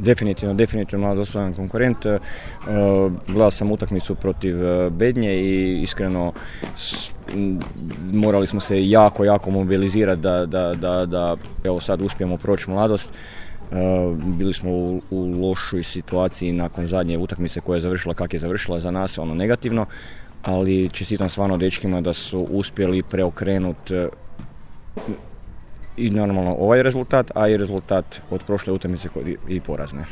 Definitivno Mladost dostojan konkurent. Gledao sam utakmicu protiv Bednje i iskreno morali smo se jako mobilizirati da evo sad uspijemo proći Mladost. Bili smo u lošoj situaciji nakon zadnje utakmice koja je završila kako je završila za nas, negativno, ali čestitam stvarno dečkima da su uspjeli preokrenuti i normalno ovaj rezultat, a i rezultat od prošle utakmice i porazne.